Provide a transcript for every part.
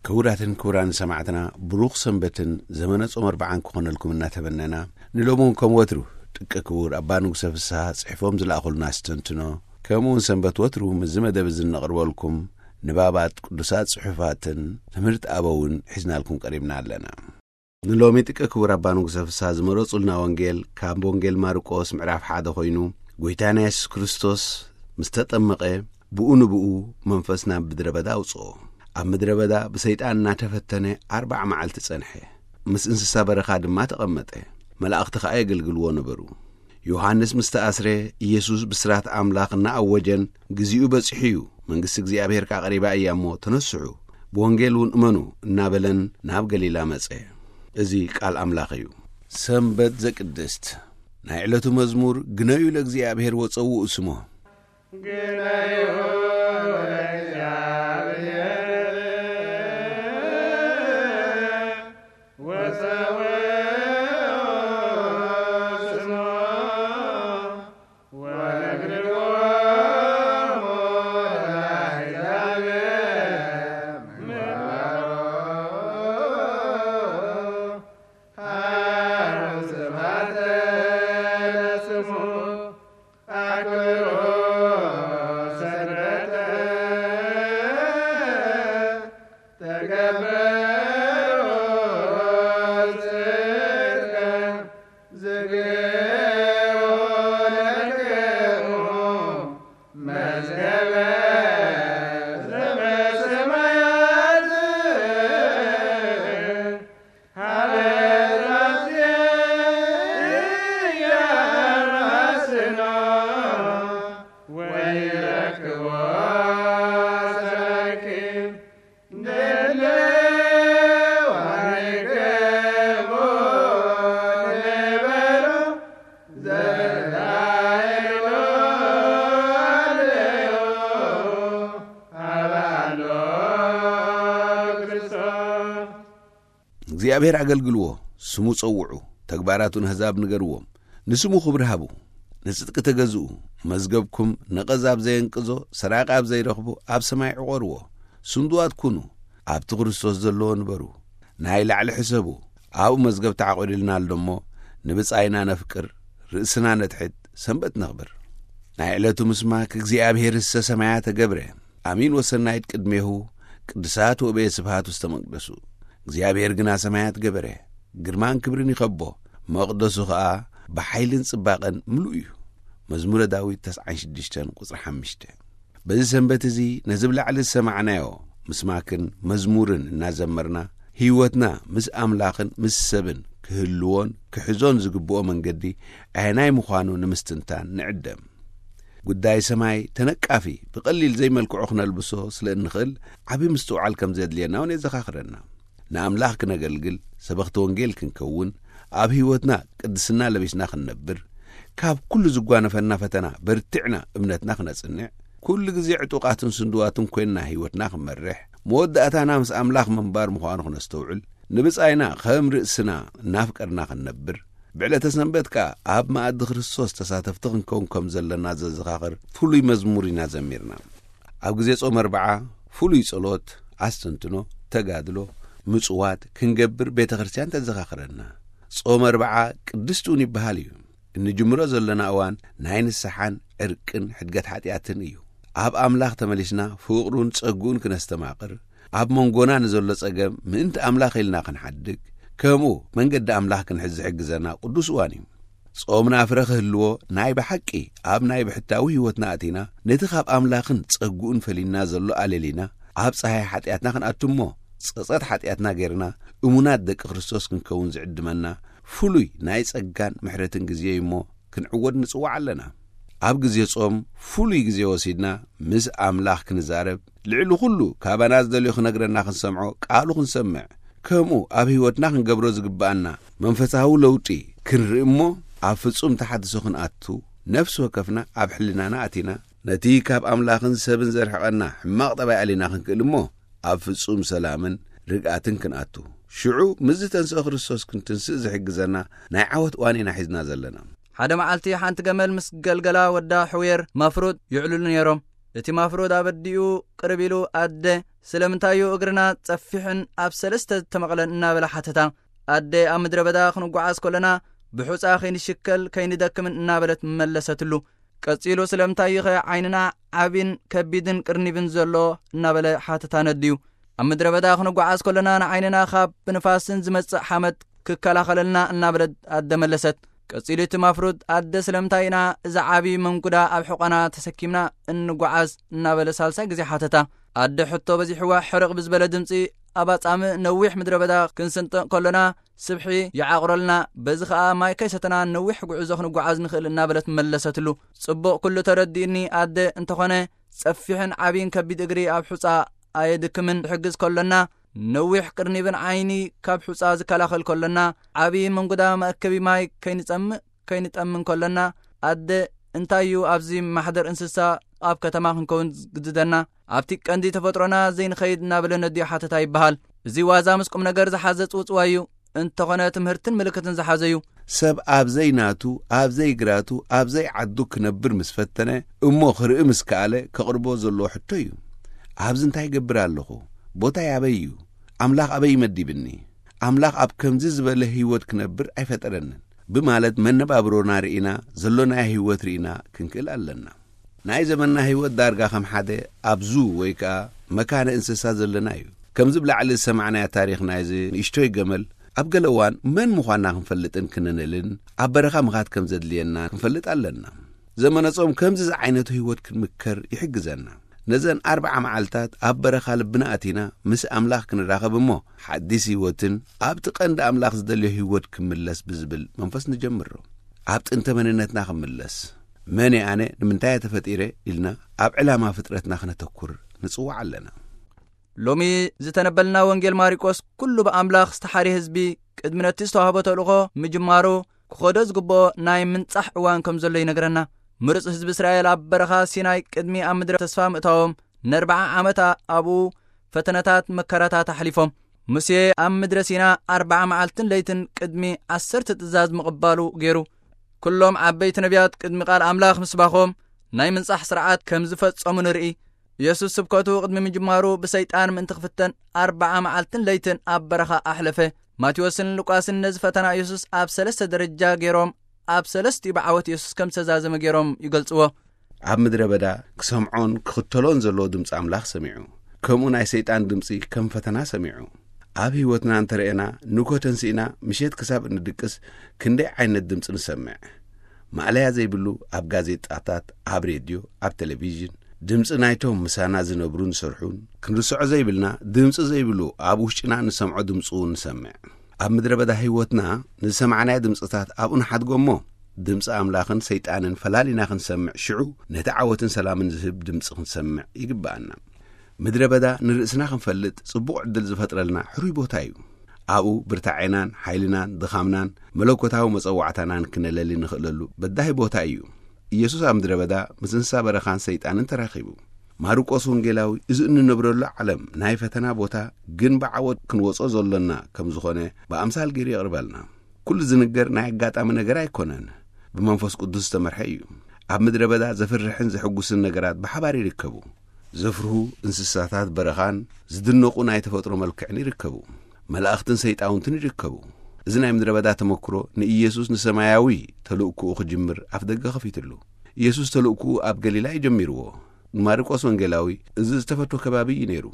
ክቡራትን ክቡራን ሰማዕትና፣ ብሩኽ ሰንበትን ዘመነ ጾም ኣርብዓን ክኾነልኩም እናተመነና፣ ንሎሚ እውን ከም ወትሩ ጥቀ ክቡር ኣባ ንጉሰ ፍስሃ ጽሒፎም ዝለኣኹልና ኣስተንትኖ፣ ከምኡ እውን ሰንበት ወትሩ ምስዚ መደብ እዚ እነቕርበልኩም ንባባት ቅዱሳት ጽሑፋትን ትምህርቲ ኣበውን ሒዝናልኩም ቀሪብና ኣለና። ንሎሚ ጥቀ ክቡር ኣባ ንጉሰ ፍስሃ ዝመረጹልና ወንጌል ካብ ወንጌል ማርቆስ ምዕራፍ ሓደ ኮይኑ፣ ጎይታና የሱስ ክርስቶስ ምስ ተጠመቐ፣ ብኡ ንብኡ መንፈስ ናብ ምድረ በዳ ኣውጽኦ። ኣብ ምድረ በዳ ብሰይጣን እናተፈተነ ኣርብዓ መዓልቲ ጸንሐ። ምስ እንስሳ በረኻ ድማ ተቐመጠ። መላእኽቲ ኸኣ የገልግልዎ ነበሩ። ዮሃንስ ምስ ተኣስረ፣ ኢየሱስ ብስራት ኣምላኽ እናኣወጀን፣ "ግዜኡ በጺሑ እዩ፣ መንግስቲ እግዚኣብሔር ከኣ ቀሪባ እያ እሞ ተነስሑ፣ ብወንጌል እውን እመኑ" እናበለን ናብ ገሊላ መጸ። እዚ ቃል ኣምላኽ እዩ። ሰንበት ዘቅድስት። ናይ ዕለቱ መዝሙር፣ ግነዩ ለእግዚኣብሔር ወጸውኡ ስሞ። ግነዩ ለእግዚኣብሔር ወጸውኡ ስሞ። ወነግርዎ ለአሕዛብ ምግባሮ። ሃሮን ስብሐተ ለስሙ። ኣክብሮ ሰንበተ። ተገብሩ ጽድቀ ዝግቦ ለክሙ መዝገበ ዘበሰማያት። ሀበ ዛቲ ያማስኖ ወይረክቦ ሰኪ። እግዚኣብሔር ኣገልግልዎ፣ ስሙ ጸውዑ፣ ተግባራቱ ንኣህዛብ ንገርዎም። ንስሙ ክብሪ ሃቡ፣ ንጽድቂ ተገዝኡ። መዝገብኩም ነቐዝ ኣብ ዘየንቅዞ፣ ሰራቂ ኣብ ዘይረኽቦ፣ ኣብ ሰማይ ዕቖርዎ። ስንዱዋት ኩኑ፣ ኣብቲ ክርስቶስ ዘለዎ ንበሩ። ናይ ላዕሊ ሕሰቡ፣ ኣብኡ መዝገብ ተዓቑድልና ኣሎ እሞ፣ ንብጻይና ነፍቅር፣ ርእስና ነትሕት፣ ሰንበት ነኽብር። ናይ ዕለቱ ምስማክ እግዚኣብሔር እስተ ሰማያ ተገብረ፣ ኣሚን ወሰናይት ቅድሜሁ፣ ቅዱሳት ወበየ ስብሃት ውስተ መቅደሱ። እግዚኣብሔር ግና ሰማያት ገበረ፣ ግርማን ክብርን ይኸቦ፣ መቕደሱ ኸኣ ብሓይልን ጽባቐን ምሉእ እዩ። መዝሙረ ዳዊት ተስዓን ሽዱሽተን ቁጽሪ ሓሙሽተ። በዚ ሰንበት እዚ ነዚ ብላዕሊ ዝሰማዕናዮ ምስማክን መዝሙርን እናዘመርና፣ ህይወትና ምስ ኣምላኽን ምስ ሰብን ክህልዎን ክሕዞን ዝግብኦ መንገዲ ኣየናይ ምዃኑ ንምስትንታን ንዕደም። ጉዳይ ሰማይ ተነቃፊ ብቐሊል ዘይመልክዑ ክነልብሶ ስለ እንኽእል ዓቢ ምስትውዓል ከም ዘድልየና እውን የዘኻኽረና። ንኣምላኽ ክነገልግል፣ ሰበኽቲ ወንጌል ክንከውን፣ ኣብ ህይወትና ቅድስና ለቢስና ክንነብር፣ ካብ ኩሉ ዝጓነፈና ፈተና በርቲዕና እምነትና ክነጽንዕ፣ ኩሉ ግዜ ዕጡቓትን ስንድዋትን ኮይንና ህይወትና ክንመርሕ፣ መወዳእታና ምስ ኣምላኽ ምንባር ምዃኑ ክነስተውዕል፣ ንብጻይና ከም ርእስና እናፍቀርና ክንነብር፣ ብዕለተ ሰንበት ከኣ ኣብ መኣዲ ክርስቶስ ተሳተፍቲ ክንከውን ከም ዘለና ዘዘኻኽር ፍሉይ መዝሙር ኢና ዘሚርና። ኣብ ግዜ ጾም ኣርብዓ ፍሉይ ጸሎት፣ ኣስተንትኖ፣ ተጋድሎ፣ ምጽዋት ክንገብር ቤተ ክርስቲያን ተዘኻኽረና። ጾም ኣርብዓ ቅድስቲ እውን ይበሃል እዩ። እንጅምሮ ዘለና እዋን ናይ ንስሓን ዕርቅን ሕድገት ሓጢኣትን እዩ። ኣብ ኣምላኽ ተመሊስና ፍቕሩን ጸግኡን ክነስተማቕር፣ ኣብ መንጎና ንዘሎ ጸገም ምእንቲ ኣምላኽ ኢልና ክንሓድግ፣ ከምኡ መንገዲ ኣምላኽ ክንሕዝ ዝሕግዘና ቅዱስ እዋን እዩ። ጾምና ፍረ ክህልዎ ናይ ብሓቂ ኣብ ናይ ብሕታዊ ህይወትና ኣቲና፣ ነቲ ካብ ኣምላኽን ጸግኡን ፈሊና ዘሎ ኣለሊና፣ ኣብ ጸሃይ ሓጢኣትና ክንኣቱ እሞ፣ ጸጸት ሓጢኣትና ጌርና እሙናት ደቂ ክርስቶስ ክንከውን ዝዕድመና ፍሉይ ናይ ጸጋን ምሕረትን ግዜ እዩ እሞ፣ ክንዕወት ንጽዋዕ ኣለና። ኣብ ግዜ ጾም ፍሉይ ግዜ ወሲድና ምስ ኣምላኽ ክንዛረብ፣ ልዕሊ ኩሉ ካባና ዝደልዮ ክነግረና ክንሰምዖ፣ ቃሉ ክንሰምዕ፣ ከምኡ ኣብ ህይወትና ክንገብሮ ዝግብኣና መንፈሳዊ ለውጢ ክንርኢ እሞ፣ ኣብ ፍጹም ተሓድሶ ክንኣቱ፣ ነፍሲ ወከፍና ኣብ ሕልናና ኣቲና፣ ነቲ ካብ ኣምላኽን ሰብን ዘርሕቐና ሕማቕ ጠባይ ኣሊና ክንክእል እሞ፣ ኣብ ፍጹም ሰላምን ርግኣትን ክንኣቱ፣ ሽዑ ምስዚ ተንስኦ ክርስቶስ ክንትንስእ ዝሕግዘና ናይ ዓወት እዋን ኢና ሒዝና ዘለና። ሓደ መዓልቲ ሓንቲ ገመል ምስ ገልገላ ወዳ ሕውየር ማፍሩጥ ይዕልሉ ነይሮም። እቲ ማፍሮድ ኣብ ኣዲኡ ቅርብ ኢሉ፣ ኣደ፣ ስለምንታይ እዩ እግርና ጸፊሕን ኣብ ሰለስተ ዝተመቕለን? እናበለ ሓተታ። ኣደ፣ ኣብ ምድረ በዳ ክንጓዓዝ ከለና ብሑጻ ከይንሽከል ከይንደክምን እናበለት መለሰትሉ። ቀጺሉ፣ ስለምንታይ እዩ ኸ ዓይንና ዓቢን ከቢድን ቅርኒብን ዘሎ? እናበለ ሓተታ ነድዩ። ኣብ ምድረ በዳ ክንጓዓዝ ከለና ንዓይንና ካብ ብንፋስን ዝመጽእ ሓመድ ክከላኸለልና እናበለት ኣደ መለሰት። ቀጺሉ እቲ ማፍሩድ፣ ኣደ፣ ስለምንታይ ኢና እዚ ዓቢ መንጉዳ ኣብ ሕቖና ተሰኪምና እንጓዓዝ? እናበለ ሳልሳይ ግዜ ሓተታ። ኣደ ሕቶ በዚሕዋ ሕርቕ ብዝበለ ድምጺ፣ ኣብ ኣጻምእ ነዊሕ ምድረ በዳ ክንስንጥቕ ከሎና ስብሒ ይዓቑረልና፣ በዚ ኸኣ ማይ ከይሰተና ነዊሕ ጉዕዞ ክንጓዓዝ ንኽእል እናበለት መለሰትሉ። ጽቡቕ፣ ኩሉ ተረዲእኒ ኣደ፣ እንተኾነ ጸፊሕን ዓቢን ከቢድ እግሪ ኣብ ሑጻ ኣየድክምን። ክሕግዝ ከሎና ነዊሕ ቅርኒብን ዓይኒ ካብ ሑጻ ዝከላኸል ከሎና ዓቢ መንጉዳ መእከቢ ማይ ከይንጸምእ ከይንጠምን ከሎና ኣደ፣ እንታይ እዩ ኣብዚ ማሕደር እንስሳ ኣብ ከተማ ክንከውን ዝግድደና? ኣብቲ ቀንዲ ተፈጥሮና ዘይንኸይድ? እናበለ ነዲኡ ሓተታ ይበሃል። እዚ ዋዛ ምስ ቁም ነገር ዝሓዘ ጽውጽዋይ እዩ። እንተኾነ ትምህርትን ምልክትን ዝሓዘ እዩ። ሰብ ኣብ ዘይናቱ፣ ኣብ ዘይግራቱ፣ ኣብ ዘይዓዱ ክነብር ምስ ፈተነ፣ እሞ ክርኢ ምስ ከኣለ ከቕርቦ ዘለዎ ሕቶ እዩ። ኣብዚ እንታይ ይገብር ኣለኹ? ቦታይ ኣበይ እዩ? ኣምላኽ ኣበይ ይመዲብኒ? ኣምላኽ ኣብ ከምዚ ዝበለ ህይወት ክነብር ኣይፈጠረንን ብማለት መነባብሮና ርኢና፣ ዘሎናዮ ህይወት ርኢና ክንክእል ኣለና። ናይ ዘመንና ህይወት ዳርጋ ከም ሓደ ኣብ ዙ ወይ ከኣ መካነ እንስሳ ዘለና እዩ። ከምዚ ብላዕሊ ዝሰማዕናዮ ታሪኽ ናይዚ ንእሽቶይ ገመል፣ ኣብ ገለ እዋን መን ምዃንና ክንፈልጥን ክንንእልን፣ ኣብ በረኻ ምኻድ ከም ዘድልየና ክንፈልጥ ኣለና። ዘመነ ጾም ከምዚ ዝዓይነቱ ህይወት ክንምከር ይሕግዘና። ነዘን ኣርብዓ መዓልታት ኣብ በረኻ ልብና ኣቲና ምስ ኣምላኽ ክንራኸብ እሞ፣ ሓዲስ ህይወትን ኣብቲ ቀንዲ ኣምላኽ ዝደልዮ ህይወት ክምለስ ብዝብል መንፈስ ንጀምሮ። ኣብ ጥንተ መንነትና ክምለስ፣ መን እየ ኣነ፣ ንምንታይ እየ ተፈጢረ ኢልና ኣብ ዕላማ ፍጥረትና ክነተኩር ንጽዋዕ ኣለና። ሎሚ ዝተነበልና ወንጌል ማርቆስ ኩሉ ብኣምላኽ ዝተሓርየ ህዝቢ ቅድሚ ነቲ ዝተዋህቦ ተልእኾ ምጅማሩ ክኸዶ ዝግብኦ ናይ ምንጻሕ እዋን ከም ዘሎ ይነግረና። ምሩጽ ህዝቢ እስራኤል ኣብ በረኻ ሲናይ ቅድሚ ኣብ ምድረ ተስፋ ምእታዎም ንኣርብዓ ዓመት ኣብኡ ፈተነታት መከራታት ኣሕሊፎም። ሙሴ ኣብ ምድረ ሲና ኣርብዓ መዓልትን ለይትን ቅድሚ ዓሰርተ ትእዛዝ ምቕባሉ ገይሩ። ኩሎም ዓበይቲ ነቢያት ቅድሚ ቃል ኣምላኽ ምስባኾም ናይ ምንጻሕ ስርዓት ከም ዝፈጸሙ ንርኢ። ኢየሱስ ስብከቱ ቅድሚ ምጅማሩ ብሰይጣን ምእንቲ ክፍተን ኣርብዓ መዓልትን ለይትን ኣብ በረኻ ኣሕለፈ። ማቴዎስን ሉቃስን ነዚ ፈተና ኢየሱስ ኣብ ሰለስተ ደረጃ ገይሮም፣ ኣብ ሰለስቲኡ ብዓወት ኢየሱስ ከም ዝተዛዘመ ገይሮም ይገልጽዎ። ኣብ ምድረ በዳ ክሰምዖን ክኽተሎን ዘለዎ ድምፂ ኣምላኽ ሰሚዑ። ከምኡ ናይ ሰይጣን ድምፂ ከም ፈተና ሰሚዑ። ኣብ ህይወትና እንተረኤና፣ ንግሆ ተንሲእና ምሸት ክሳብ እንድቅስ ክንደይ ዓይነት ድምፂ ንሰምዕ። ማእለያ ዘይብሉ ኣብ ጋዜጣታት፣ ኣብ ሬድዮ፣ ኣብ ቴሌቪዥን፣ ድምፂ ናይቶም ምሳና ዝነብሩን ዝሰርሑን ክንርስዖ ዘይብልና፣ ድምፂ ዘይብሉ ኣብ ውሽጥና ንሰምዖ ድምፂ እውን ንሰምዕ። ኣብ ምድረ በዳ ህይወትና ንዝሰማዕናዮ ድምፅታት ኣብኡ ንሓድጎ እሞ፣ ድምፂ ኣምላኽን ሰይጣንን ፈላሊና ክንሰምዕ፣ ሽዑ ነቲ ዓወትን ሰላምን ዝህብ ድምፂ ክንሰምዕ ይግብኣና። ምድረ በዳ ንርእስና ክንፈልጥ ጽቡቕ ዕድል ዝፈጥረልና ሕሩይ ቦታ እዩ። ኣብኡ ብርታዔናን ሓይልናን ድኻምናን መለኮታዊ መጸዋዕታናን ክነለሊ ንኽእለሉ በዳሂ ቦታ እዩ። ኢየሱስ ኣብ ምድረ በዳ ምስ እንስሳ በረኻን ሰይጣንን ተራኺቡ። ማርቆስ ወንጌላዊ እዚ እንነብረሉ ዓለም ናይ ፈተና ቦታ፣ ግን ብዓወት ክንወጾ ዘሎና ከም ዝኾነ ብኣምሳል ገይሩ የቕርበልና። ኩሉ ዝንገር ናይ ኣጋጣሚ ነገር ኣይኮነን። ብመንፈስ ቅዱስ ዝተመርሐ እዩ። ኣብ ምድረ በዳ ዘፍርሕን ዘሕጉስን ነገራት ብሓባር ይርከቡ። ዘፍርሁ እንስሳታት በረኻን ዝድነቑ ናይ ተፈጥሮ መልክዕን ይርከቡ። መላእኽትን ሰይጣውንትን ይርከቡ። እዚ ናይ ምድረ በዳ ተመክሮ ንኢየሱስ ንሰማያዊ ተልእኮኡ ክጅምር ኣፍደገ ከፊትሉ። ኢየሱስ ተልእኮኡ ኣብ ገሊላ እዩ ጀሚርዎ። ማርቆስ ወንጌላዊ እዚ ዝተፈቶ ከባቢ እዩ ነይሩ።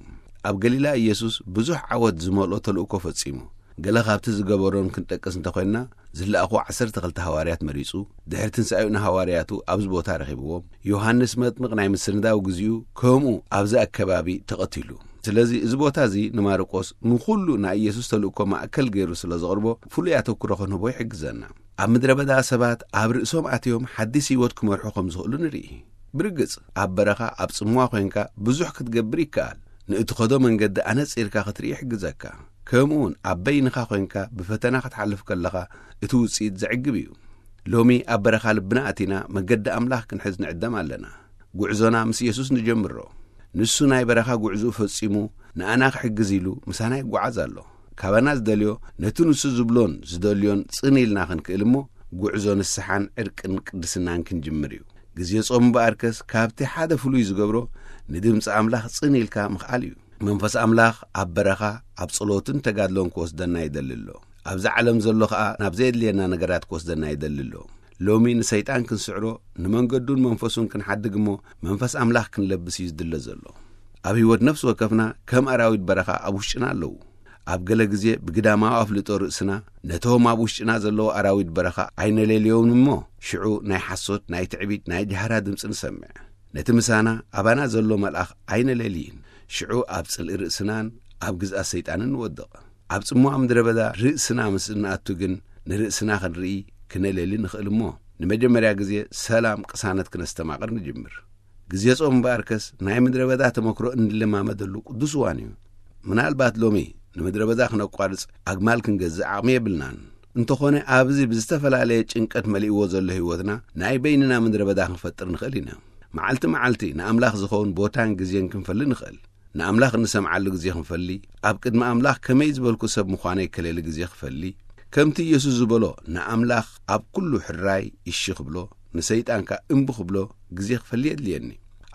ኣብ ገሊላ ኢየሱስ ብዙሕ ዓወት ዝመልኦ ተልእኮ ፈጺሙ። ገለ ካብቲ ዝገበሮን ክንጠቅስ እንተኾይንና፣ ዝለኣኹ ዓሰርተ ክልተ ሃዋርያት መሪጹ፣ ድሕሪ ትንሳኤኡ ንሃዋርያቱ ኣብዚ ቦታ ረኺብዎም። ዮሃንስ መጥምቕ ናይ ምስንዳው ግዜኡ ከምኡ ኣብዚ ኣከባቢ ተቐቲሉ። ስለዚ እዚ ቦታ እዚ ንማርቆስ ንኹሉ ናይ ኢየሱስ ተልእኮ ማእከል ገይሩ ስለ ዘቕርቦ፣ ፍሉይ ኣተኩሮ ክንህቦ ይሕግዘና። ኣብ ምድረ በዳ ሰባት ኣብ ርእሶም ኣትዮም ሓዲስ ህይወት ክመርሑ ከም ዝኽእሉ ንርኢ። ብርግጽ፣ ኣብ በረኻ ኣብ ጽምዋ ኮይንካ ብዙሕ ክትገብር ይከኣል። ንእትኸዶ መንገዲ ኣነጺርካ ክትርኢ ይሕግዘካ። ከምኡውን ኣብ በይንኻ ኮይንካ ብፈተና ክትሓልፍ ከለኻ እቲ ውጽኢት ዘዕግብ እዩ። ሎሚ ኣብ በረኻ ልብና ኣቲና መገዲ ኣምላኽ ክንሕዝ ንዕደም ኣለና። ጉዕዞና ምስ ኢየሱስ ንጀምሮ። ንሱ ናይ በረኻ ጉዕዞኡ ፈጺሙ ንኣና ክሕግዝ ኢሉ ምሳና ይጓዓዝ ኣሎ። ካባና ዝደልዮ ነቲ ንሱ ዝብሎን ዝደልዮን ጽን ኢልና ክንክእል እሞ፣ ጉዕዞ ንስሓን ዕርቅን ቅድስናን ክንጅምር እዩ። ግዜ ጾም እምበኣርከስ ካብቲ ሓደ ፍሉይ ዝገብሮ ንድምፂ ኣምላኽ ጽን ኢልካ ምኽኣል እዩ። መንፈስ ኣምላኽ ኣብ በረኻ ኣብ ጸሎትን ተጋድሎን ክወስደና ይደሊ ኣሎ። ኣብዛ ዓለም ዘሎ ኸኣ ናብ ዘየድልየና ነገራት ክወስደና ይደሊ ኣሎ። ሎሚ ንሰይጣን ክንስዕሮ ንመንገዱን መንፈሱን ክንሓድግ እሞ መንፈስ ኣምላኽ ክንለብስ እዩ ዝድለ ዘሎ። ኣብ ህይወት ነፍሲ ወከፍና ከም ኣራዊት በረኻ ኣብ ውሽጥና ኣለዉ። ኣብ ገለ ግዜ ብግዳማዊ ኣፍልጦ ርእስና ነቶም ኣብ ውሽጥና ዘለዉ ኣራዊት በረኻ ኣይነለልዮም እሞ ሽዑ ናይ ሓሶት፣ ናይ ትዕቢት፣ ናይ ጃህራ ድምፂ ንሰምዕ። ነቲ ምሳና ኣባና ዘሎ መልኣኽ ኣይነለልይን። ሽዑ ኣብ ጽልኢ ርእስናን ኣብ ግዝኣት ሰይጣንን ንወድቕ። ኣብ ጽምዋ ምድረ በዳ ርእስና ምስ እንኣቱ ግን ንርእስና ክንርኢ ክነለሊ ንኽእል እሞ ንመጀመርያ ግዜ ሰላም ቅሳነት ክነስተማቕር ንጅምር። ግዜ ጾም እምበኣርከስ ናይ ምድረ በዳ ተመክሮ እንለማመደሉ ቅዱስ እዋን እዩ። ምናልባት ሎሚ ንምድረ በዳ ክነቋርጽ ኣግማል ክንገዝእ ዓቕሚ የብልናን። እንተኾነ ኣብዚ ብዝተፈላለየ ጭንቀት መሊእዎ ዘሎ ህይወትና ናይ በይንና ምድረ በዳ ክንፈጥር ንኽእል ኢና። መዓልቲ መዓልቲ ንኣምላኽ ዝኸውን ቦታን ግዜን ክንፈሊ ንኽእል። ንኣምላኽ እንሰምዓሉ ግዜ ክንፈሊ፣ ኣብ ቅድሚ ኣምላኽ ከመይ ዝበልኩ ሰብ ምዃነይ ከለሊ ግዜ ክፈሊ፣ ከምቲ ኢየሱስ ዝበሎ ንኣምላኽ ኣብ ኩሉ ሕራይ እሺ ክብሎ፣ ንሰይጣን ከኣ እምቢ ክብሎ ግዜ ክፈሊ የድልየኒ።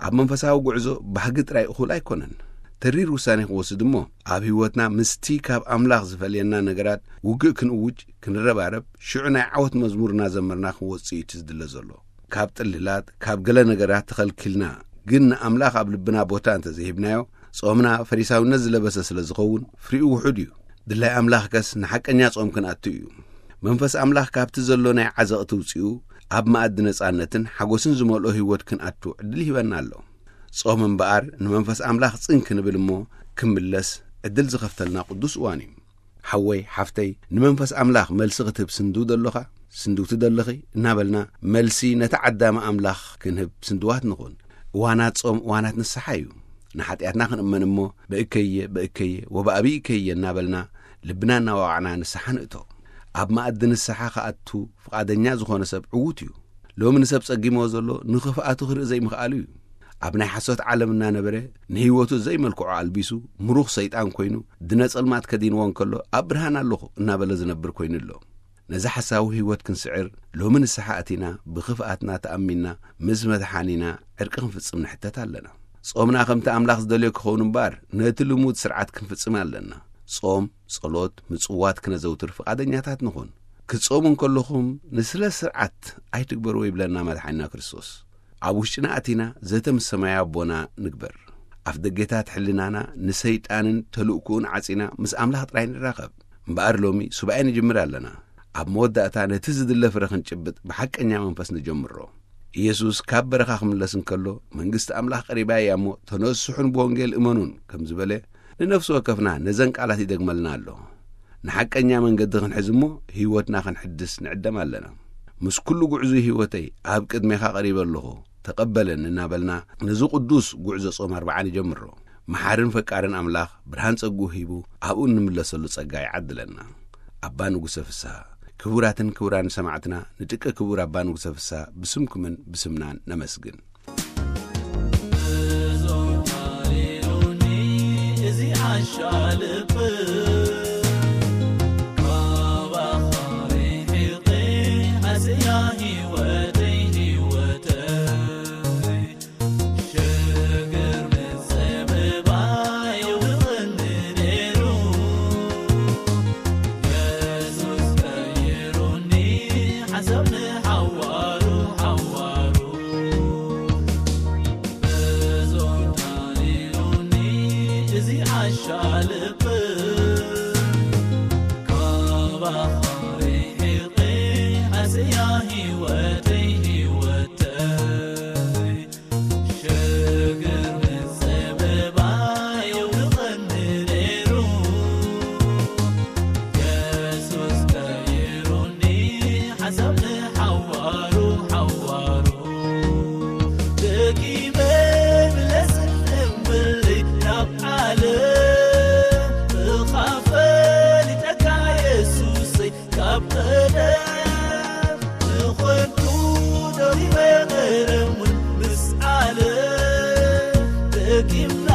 ኣብ መንፈሳዊ ጉዕዞ ባህጊ ጥራይ እኹል ኣይኮነን። ተሪር ውሳኔ ክንወስድ እሞ ኣብ ህይወትና ምስቲ ካብ ኣምላኽ ዝፈልየና ነገራት ውግእ ክንእውጅ፣ ክንረባረብ፣ ሽዑ ናይ ዓወት መዝሙር እናዘመርና ክንወጽእ እዩ እቲ ዝድለ ዘሎ። ካብ ጥልላት፣ ካብ ገለ ነገራት ተኸልኪልና ግን ንኣምላኽ ኣብ ልብና ቦታ እንተዘይሂብናዮ፣ ጾምና ፈሪሳውነት ዝለበሰ ስለ ዝኸውን ፍሪኡ ውሑድ እዩ። ድላይ ኣምላኽከስ ንሓቀኛ ጾም ክንኣቱ እዩ። መንፈስ ኣምላኽ ካብቲ ዘሎ ናይ ዓዘቕቲ ውጺኡ ኣብ መኣዲ ነጻነትን ሓጎስን ዝመልኦ ህይወት ክንኣቱ ዕድል ይህበና ኣሎ። ጾም እምበኣር ንመንፈስ ኣምላኽ ጽን ክንብል እሞ ክምለስ ዕድል ዝኸፍተልና ቅዱስ እዋን እዩ። ሓወይ ሓፍተይ፣ ንመንፈስ ኣምላኽ መልሲ ክትህብ ስንድው ደሎኻ፣ ስንድውቲ ደለኺ እናበልና፣ መልሲ ነቲ ዓዳሚ ኣምላኽ ክንህብ ስንድዋት ንኹን። እዋናት ጾም እዋናት ንስሓ እዩ። ንሓጢኣትና ክንእመን እሞ፣ በእከየ በእከየ ወበኣቢእከየ እናበልና ልብና እናዋቕዕና ንስሓ ንእቶ። ኣብ መኣዲ ንስሓ ክኣቱ ፍቓደኛ ዝኾነ ሰብ ዕዉት እዩ። ሎሚ ንሰብ ጸጊሞ ዘሎ ንኽፍኣቱ ክርኢ ዘይምኽኣሉ እዩ። ኣብ ናይ ሓሶት ዓለም እናነበረ፣ ንህይወቱ ዘይመልክዖ ኣልቢሱ፣ ምሩኽ ሰይጣን ኮይኑ፣ ድነ ጸልማት ከዲንዎ እንከሎ ኣብ ብርሃን ኣለኹ እናበለ ዝነብር ኮይኑ ኣሎ። ነዚ ሓሳዊ ህይወት ክንስዕር ሎሚ ንስሓ ኣቲና ብኽፍኣትና ተኣሚንና ምስ መድሓኒና ዕርቂ ክንፍጽም ንሕተት ኣለና። ጾምና ከምቲ ኣምላኽ ዝደልዮ ክኸውን እምበኣር ነቲ ልሙድ ስርዓት ክንፍጽም ኣለና። ጾም፣ ጸሎት፣ ምጽዋት ክነዘውትር ፍቓደኛታት ንኹን። ክትጾሙ እንከለኹም ንስለ ስርዓት ኣይትግበርዎ ይብለና መድሓኒና ክርስቶስ። ኣብ ውሽጥና ኣቲና ዘተ ምስ ሰማያዊ ኣቦና ንግበር። ኣፍ ደጌታት ሕልናና ንሰይጣንን ተልእኩኡን ዓጺና ምስ ኣምላኽ ጥራይ ንራኸብ። እምበኣር ሎሚ ሱባኤ ንጅምር ኣለና። ኣብ መወዳእታ ነቲ ዝድለ ፍረ ክንጭብጥ ብሓቀኛ መንፈስ ንጀምሮ። ኢየሱስ ካብ በረኻ ክምለስ እንከሎ መንግስቲ ኣምላኽ ቀሪባ እያ እሞ ተነስሑን ብወንጌል እመኑን ከም ዝበለ ንነፍሲ ወከፍና ነዘን ቃላት ይደግመልና ኣሎ። ንሓቀኛ መንገዲ ክንሕዝ እሞ ህይወትና ክንሕድስ ንዕደም ኣለና። ምስ ኩሉ ጉዕዞ ህይወተይ ኣብ ቅድሜኻ ቀሪበ ኣለኹ፣ ተቐበለኒ እናበልና ነዚ ቅዱስ ጉዕዞ ጾም ኣርብዓ ንጀምሮ። መሓርን ፈቃርን ኣምላኽ ብርሃን ጸግኡ ሂቡ ኣብኡ እንምለሰሉ ጸጋ ይዓድለና። ኣባ ንጉሰ ፍስሃ። ክቡራትን ክቡራን ሰማዕትና፣ ንደቂ ክቡር ኣባ ንጉሰ ፍስሃ ብስምኩምን ብስምናን ነመስግን። እዞም ታሪሩኒ እዚ ዓሻ ልብ ካባኻ ርሒቐ ኣስያ ህይወተይ ህይወተይ ሽግር ምጽብባይ የውድቐኒ ነይሩ። የሱስ ቀይሩኒ ሓሳብ ንሓዋሩ ሓዋሩ። እዞም ታሪሩኒ እዚ ዓሻ ልብ ካባኻ ርሒቐ ኣስያ ህይወተይ ህይወተይ ሽግር ምጽብባይ የውድቐኒ ነይሩ። የሱስ ቀይሩኒ ሓሳብ ንሓዋሩ ሓዋሩ። ደጊመ ምለስን እምብለይ ናብ ዓለም ብኻ ፈሊጠካ የሱሰይ ካብ ቀደም ንኾንኩ ደሪበ ቀደም እውን ምስ ዓለም ደጊምና